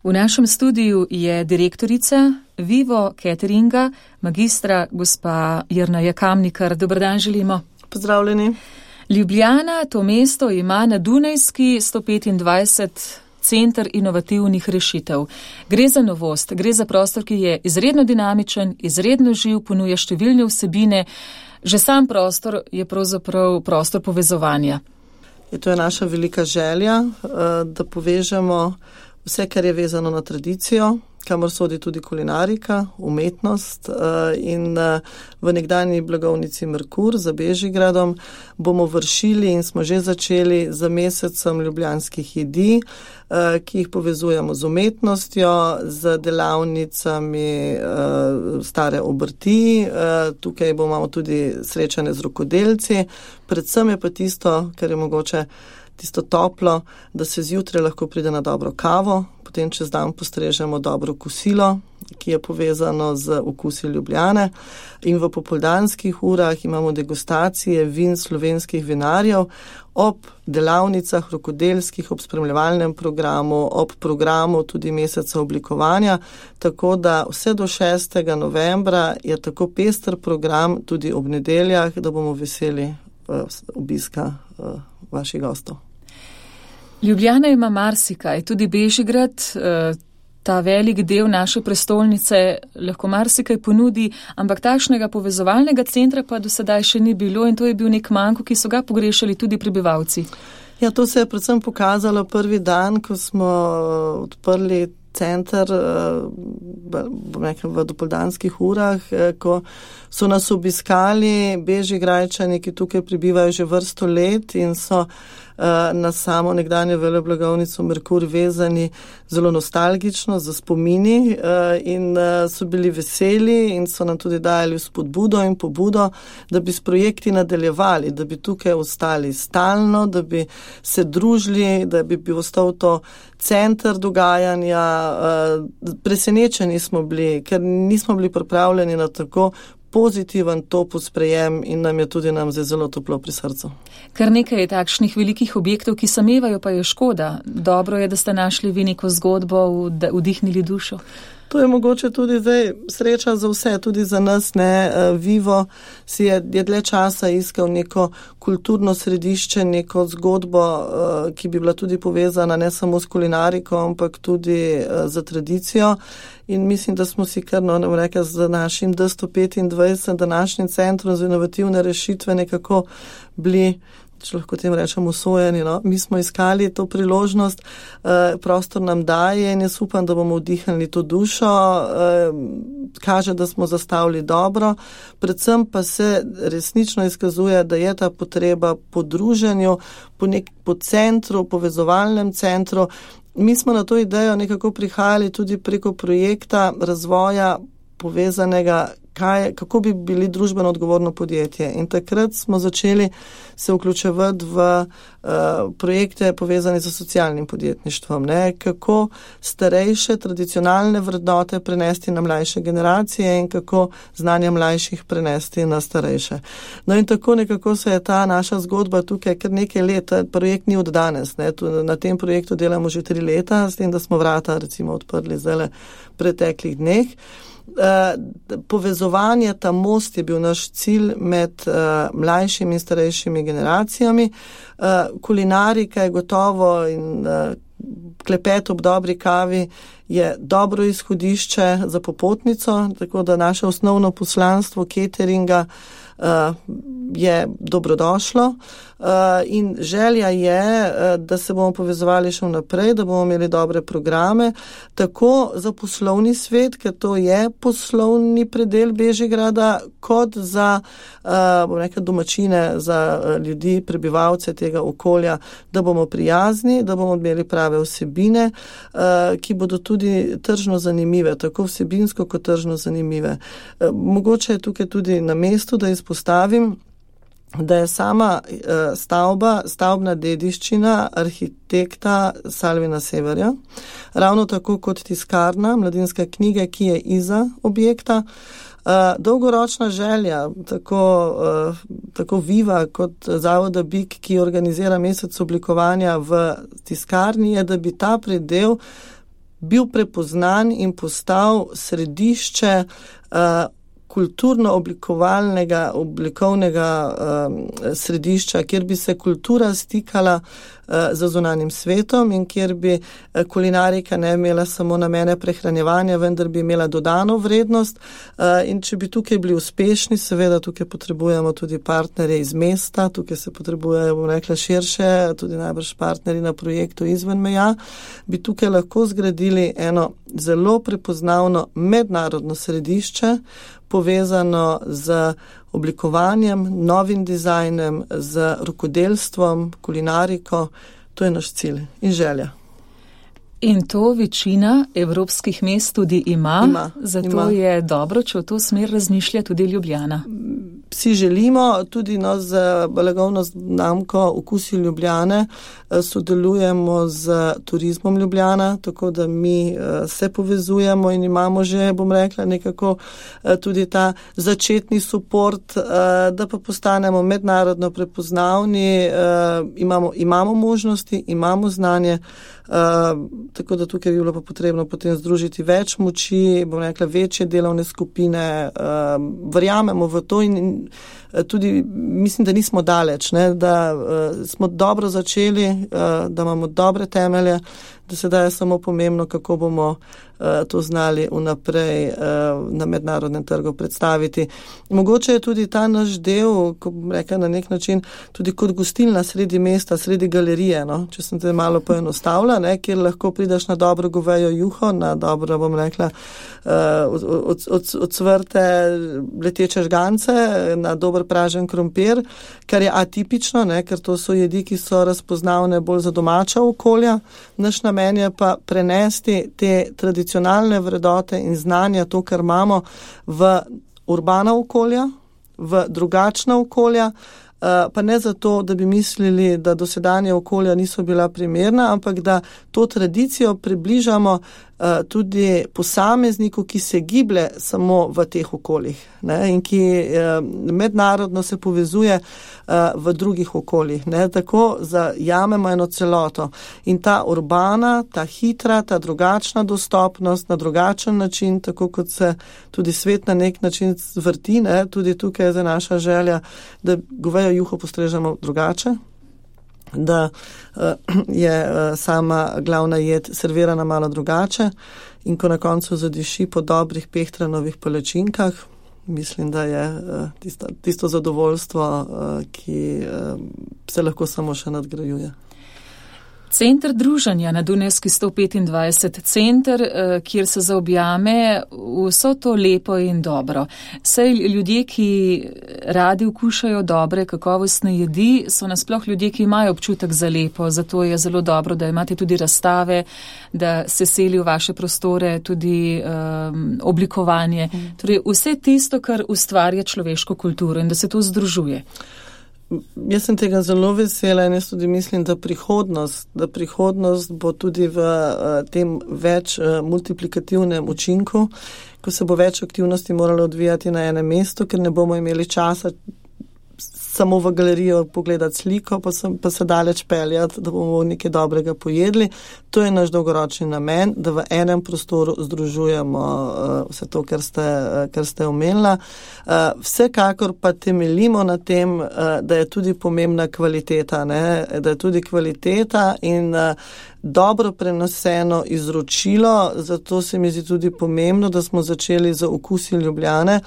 V našem studiu je direktorica Vivo Cateringa, magistra gospa Jerneja Kamnikar. Dober dan želimo. Pozdravljeni. Ljubljana, to mesto, ima na Dunajski 125 center inovativnih rešitev. Gre za novost, gre za prostor, ki je izredno dinamičen, izredno živ, ponuja številne vsebine. Že sam prostor je pravzaprav prostor povezovanja. To je naša velika želja, da povežemo vse, kar je vezano na tradicijo, kamor sodi tudi kulinarika, umetnost, in v nekdanji blagovnici Merkur za Bežigradom bomo vršili in smo že začeli z mesecem ljubljanskih jedi, ki jih povezujemo z umetnostjo, z delavnicami stare obrti. Tukaj bomo tudi srečane z rokodelci. Predvsem je pa tisto, kar je mogoče tisto toplo, da se zjutraj lahko pride na dobro kavo, potem čez dan postrežemo dobro kosilo, ki je povezano z okusi Ljubljane, in v popoldanskih urah imamo degustacije vin slovenskih vinarjev ob delavnicah rokodelskih, ob spremljevalnem programu, ob programu tudi meseca oblikovanja, tako da vse do 6. novembra je tako pester program tudi ob nedeljah, da bomo veseli obiska vaših gostov. Ljubljana ima marsikaj, tudi Bežigrad, ta velik del naše prestolnice, lahko marsikaj ponudi, ampak takšnega povezovalnega centra pa do sedaj še ni bilo in to je bil nek manko, ki so ga pogrešali tudi prebivalci. Ja, to se je predvsem pokazalo prvi dan, ko smo odprli center v dopoldanskih urah, ko so nas obiskali Bežigrajčani, ki tukaj prebivajo že vrsto let in so na samo nekdanje veleblagovnico Merkur vezani zelo nostalgično, za spomini, in so bili veseli in so nam tudi dajali spodbudo in pobudo, da bi s projekti nadaljevali, da bi tukaj ostali stalno, da bi se družili, da bi ostal to center dogajanja. Presenečeni smo bili, ker nismo bili pripravljeni na tako pozitiven topel sprejem in nam je tudi zelo toplo pri srcu. Kar nekaj je takšnih velikih objektov, ki samevajo, pa je škoda. Dobro je, da ste našli vi neko zgodbo, vdihnili dušo. To je mogoče tudi zdaj sreča za vse, tudi za nas, ne. Vivo si je dlje časa iskal neko kulturno središče, neko zgodbo, ki bi bila tudi povezana ne samo s kulinariko, ampak tudi za tradicijo. In mislim, da smo si kar, z našim D125, današnjim centrom za inovativne rešitve nekako bili, če lahko tem rečem, usvojeni. Mi smo iskali to priložnost, prostor nam daje in jaz upam, da bomo vdihnili to dušo, kaže, da smo zastavili dobro, predvsem pa se resnično izkazuje, da je ta potreba po druženju, po centru, povezovalnem centru. Mi smo na to idejo nekako prihajali tudi preko projekta razvoja povezanega, kako bi bili družbeno odgovorno podjetje. In takrat smo začeli se vključevati v projekte povezane z socialnim podjetništvom. Kako starejše tradicionalne vrednote prenesti na mlajše generacije in kako znanje mlajših prenesti na starejše. No in tako nekako se je ta naša zgodba tukaj kar nekaj let, projekt ni od danes. Na tem projektu delamo že 3 leta, s tem, da smo vrata recimo odprli zdaj preteklih dneh. Povezovanje, ta most je bil naš cilj med mlajšimi in starejšimi generacijami. Kulinarika je gotovo in klepet ob dobri kavi je dobro izhodišče za popotnico, tako da naše osnovno poslanstvo cateringa je dobrodošlo in želja je, da se bomo povezovali še naprej, da bomo imeli dobre programe, tako za poslovni svet, ker to je poslovni predel Bežigrada, kot za domačine, za ljudi, prebivalce tega okolja, da bomo prijazni, da bomo imeli prave vsebine, ki bodo tudi tržno zanimive, tako vsebinsko kot tržno zanimive. Mogoče je tukaj tudi na mestu, da izpostavim, da je sama stavbna dediščina arhitekta Salvina Severja, ravno tako kot tiskarna, Mladinska knjiga, ki je iza objekta. Dolgoročna želja, tako Viva kot Zavoda BIK, ki organizira mesec oblikovanja v tiskarni, je, da bi ta predel bil prepoznan in postal središče kulturno-oblikovnega središča, kjer bi se kultura stikala z zunanjim svetom in kjer bi kulinarika ne imela samo namene prehranjevanja, vendar bi imela dodano vrednost. In če bi tukaj bili uspešni, seveda tukaj potrebujemo tudi partnerje iz mesta, tukaj se potrebujejo, bom rekla, širše, tudi najbrž partnerji na projektu izven meja, bi tukaj lahko zgradili eno zelo prepoznavno mednarodno središče, povezano z oblikovanjem, novim dizajnem, z rokodelstvom, kulinariko. To je naš cilj in želja. In to večina evropskih mest tudi ima. Zato je dobro, če v to smer razmišlja tudi Ljubljana. Vsi želimo, tudi z blagovno znamko Okusi Ljubljane sodelujemo z Turizmom Ljubljana, tako da mi se povezujemo in imamo že, bom rekla, nekako tudi ta začetni suport, da pa postanemo mednarodno prepoznavni, imamo možnosti, imamo znanje, tako da tukaj bi bilo pa potrebno potem združiti več moči, bom rekla, večje delovne skupine, verjamemo v to in tudi mislim, da nismo daleč, ne, da smo dobro začeli, da imamo dobre temelje, da sedaj je samo pomembno, kako bomo to znali vnaprej na mednarodnem trgu predstaviti. Mogoče je tudi ta naš del, ko bom rekla na nek način, tudi kot gostilna sredi mesta, sredi galerije, no? Če sem te malo poenostavila, ne? Kjer lahko prideš na dobro govejo juho, na dobro, bom rekla, odsvrte leteče žgance, na dober pražen krompir, kar je atipično, ne? Ker to so jedi, ki so razpoznavne bolj za domača okolja. Naš namen je pa prenesti te tradicionalne vrednote in znanja, to, kar imamo, v urbana okolja, v drugačna okolja, pa ne zato, da bi mislili, da dosedanje okolja niso bila primerna, ampak da to tradicijo približamo tudi posamezniku, ki se giblje samo v teh okoljih, ne, in ki mednarodno se povezuje v drugih okoljih, ne, tako zajamemo eno celoto. In ta urbana, ta hitra, ta drugačna dostopnost na drugačen način, tako kot se tudi svet na nek način vrti, ne, tudi tukaj je za naša želja, da govejo juho postrežemo drugače, da je sama glavna jed servirana malo drugače in ko na koncu zadiši po dobrih pehtranovih palačinkah, mislim, da je tisto zadovoljstvo, ki se lahko samo še nadgrajuje. Center druženja na Dunajski 125, center, kjer se zaobjame vso to lepo in dobro. Saj ljudje, ki radi okušajo dobre, kakovostne jedi, so nasploh ljudje, ki imajo občutek za lepo, zato je zelo dobro, da imate tudi razstave, da se seli v vaše prostore tudi oblikovanje. Torej vse tisto, kar ustvarja človeško kulturo in da se to združuje. Jaz sem tega zelo vesela in jaz tudi mislim, da prihodnost bo tudi v tem več multiplikativnem učinku, ko se bo več aktivnosti moralo odvijati na enem mestu, ker ne bomo imeli časa samo v galerijo pogledati sliko, pa se daleč peljati, da bomo nekaj dobrega pojedli. To je naš dolgoročni namen, da v enem prostoru združujemo vse to, kar ste omenila. Vsekakor pa temeljimo na tem, da je tudi pomembna kvaliteta, ne? Da je tudi kvaliteta in dobro prenoseno izročilo, zato se mi zdi tudi pomembno, da smo začeli z Okusi Ljubljane,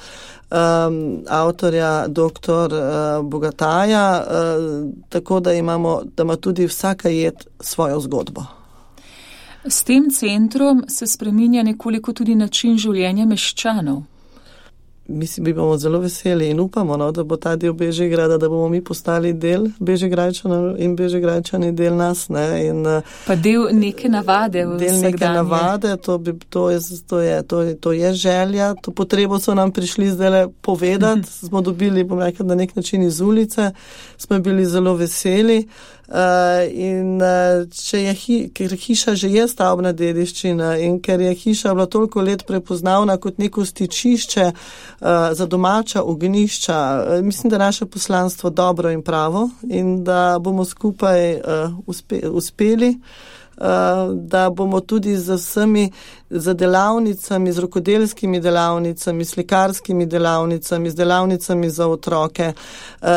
avtorja dr. Bogataja, tako da ima tudi vsaka jed svojo zgodbo. S tem centrom se spreminja nekoliko tudi način življenja meščanov. Mislim, bi bomo zelo veseli in upamo, no, da bo ta del Bežigrada, da bomo mi postali del Bežigrajčanov in Bežigrajčani del nas. Ne, in, pa del neke navade v del vsakdanje. Neke navade, to je želja, to potrebo so nam prišli zdaj povedati, smo dobili, bom rekel, na nek način iz ulice, smo bili zelo veseli. In ker hiša že je stavbna dediščina in ker je hiša bila toliko let prepoznavna kot neko stičišče za domača ognjišča, mislim, da je naše poslanstvo dobro in pravo in da bomo skupaj uspeli da bomo tudi z vsemi delavnicami, z rokodelskimi delavnicami, slikarskimi delavnicami, z delavnicami za otroke,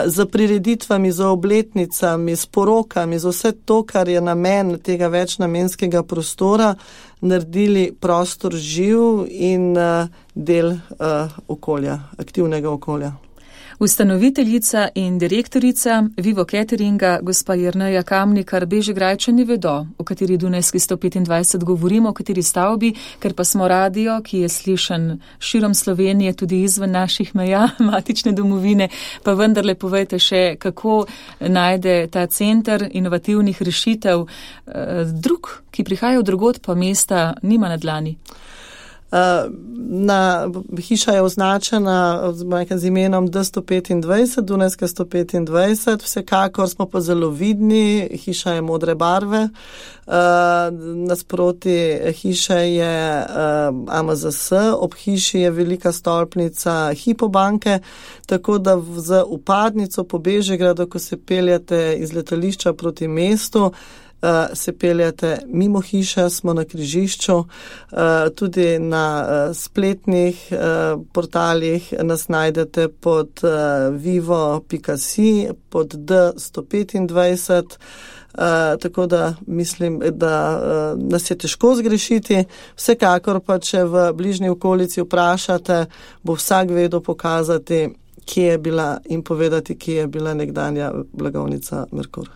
z prireditvami, z obletnicami, s porokami, z vse to, kar je namen tega večnamenskega prostora, naredili prostor živ in del okolja, aktivnega okolja. Ustanoviteljica in direktorica Vivo Cateringa, gospa Jerneja Kamnikar, Bežigrajčani vedo, o kateri Dunajski 125 govorimo, o kateri stavbi, ker pa smo radio, ki je slišan širom Slovenije, tudi izven naših meja, matične domovine, pa vendarle povejte še, kako najde ta center inovativnih rešitev drug, ki prihaja od drugod, pa mesta nima na dlani. Hiša je označena z imenom D125, Dunajska 125, vsekakor smo pa zelo vidni, hiša je modre barve, nasproti hiše je AMZS, ob hiši je velika stolpnica Hypo banke, tako da z vpadnico po Bežigradu, ko se peljete iz letališča proti mestu, se peljate mimo hiše, smo na križišču, tudi na spletnih portalih nas najdete pod vivo.si, pod D125, tako da mislim, da nas je težko zgrešiti. Vsekakor pa, če v bližnji okolici vprašate, bo vsak vedel pokazati, kje je bila in povedati, kje je bila nekdanja blagovnica Merkur.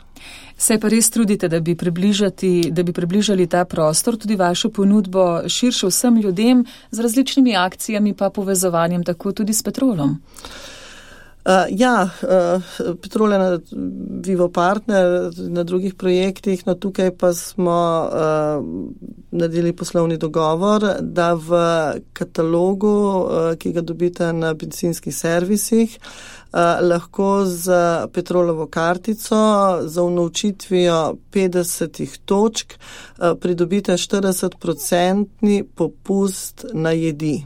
Se pa res trudite, da bi približali ta prostor, tudi vašo ponudbo širše vsem ljudem, z različnimi akcijami pa povezovanjem tako tudi s Petrolom. Petrol je Vivo partner na drugih projektih, no tukaj pa smo naredili poslovni dogovor, da v katalogu, ki ga dobite na bencinskih servisih, lahko z Petrolovo kartico za unovčitvijo 50 točk pridobite 40% popust na jedi.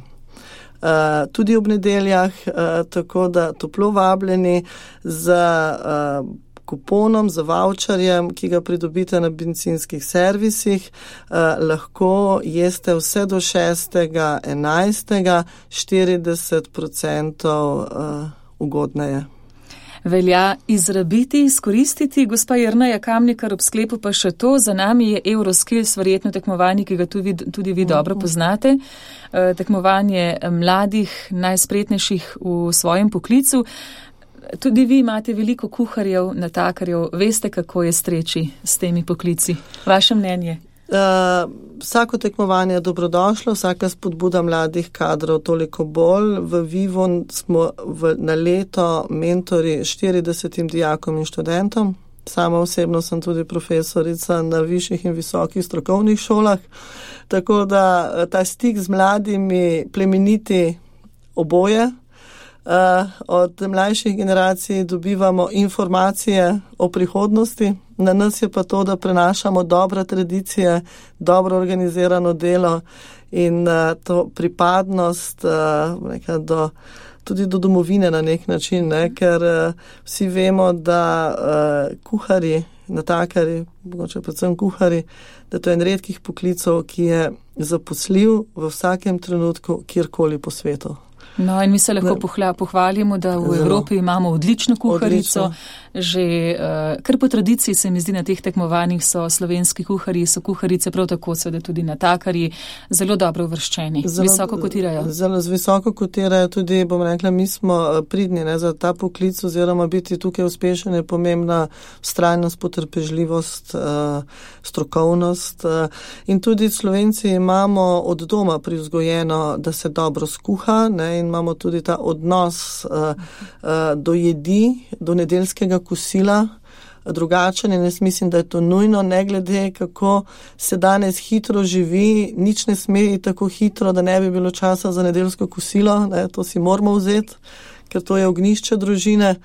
Tudi ob nedeljah, tako da toplo vabljeni z kuponom, z voucherjem, ki ga pridobite na bencinskih servisih, lahko jeste vse do 6.11. 40% ugodneje. Velja izrabiti, izkoristiti. Gospa Jerneja Kamnikar, ob sklepu pa še to, za nami je Euroskills, verjetno tekmovanje, ki ga tudi vi dobro poznate. Tekmovanje mladih, najspretnejših v svojem poklicu. Tudi vi imate veliko kuharjev, natakarjev. Veste, kako je streči s temi poklici? Vaše mnenje? Vsako tekmovanje je dobrodošlo, vsaka spodbuda mladih kadrov toliko bolj. V Vivo smo na leto mentori 40 dijakom in študentom. Sama osebno sem tudi profesorica na višjih in visokih strokovnih šolah, tako da ta stik z mladimi plemeniti oboje. Od mlajših generacij dobivamo informacije o prihodnosti. Na nas je pa to, da prenašamo dobre tradicije, dobro organizirano delo in to pripadnost tudi do domovine na nek način, ne? Ker vsi vemo, da kuharji, natakarji, mogoče predvsem kuharji, da to je en redkih poklicov, ki je zaposljiv v vsakem trenutku, kjerkoli po svetu. No, in mi se lahko pohvalimo, da v Evropi imamo odlično kuharico. Že kar po tradiciji se mi zdi na teh tekmovanjih so slovenski kuharji, so kuharice prav tako, seveda tudi natakarji, zelo dobro uvrščeni, visoko kotirajo. Zelo visoko kotirajo tudi, bom rekla, mi smo pridni za ta poklic oziroma biti tukaj uspešen je pomembna vztrajnost, potrpežljivost, strokovnost. In tudi Slovenci imamo od doma privzgojeno, da se dobro skuha, ne, in imamo tudi ta odnos do jedi, do nedeljskega kosila drugačen in jaz mislim, da je to nujno, ne glede kako se danes hitro živi, nič ne sme tako hitro, da ne bi bilo časa za nedeljsko kosilo, ne, to si moramo vzeti, ker to je ognjišče družine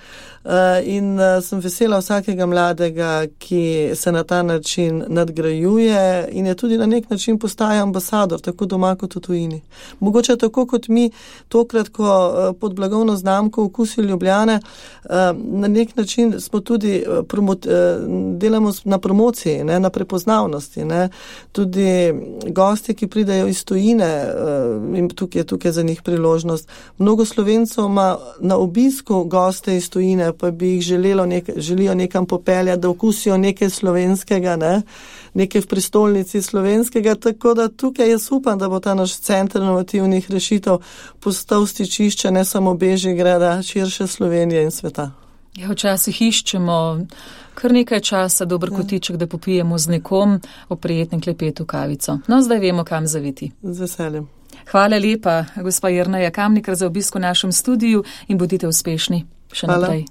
in sem vesela vsakega mladega, ki se na ta način nadgrajuje in je tudi na nek način postaja ambasador, tako doma kot v tujini. Mogoče tako kot mi tokrat, ko pod blagovno znamko Okusi Ljubljane, na nek način smo tudi delamo na promociji, ne, na prepoznavnosti. Ne. Tudi gosti, ki pridejo iz tujine, in tukaj za njih priložnost. Mnogo Slovencov ima na obisku goste iz tujine, pa bi jih želijo nekam popeljati, da okusijo nekaj slovenskega, ne, nekaj v prestolnici slovenskega, tako da tukaj jaz upam, da bo ta naš center inovativnih rešitev postal stičišče ne samo Bežigrada, širše Slovenije in sveta. Ja, včasih iščemo kar nekaj časa, dober kotiček, da popijemo z nekom o prijetnem klepetu kavico. No, zdaj vemo, kam zaviti. Z veseljem. Hvala lepa, gospa Jerneja Kamnikar, za obisk v našem studiu in bodite uspešni še naprej.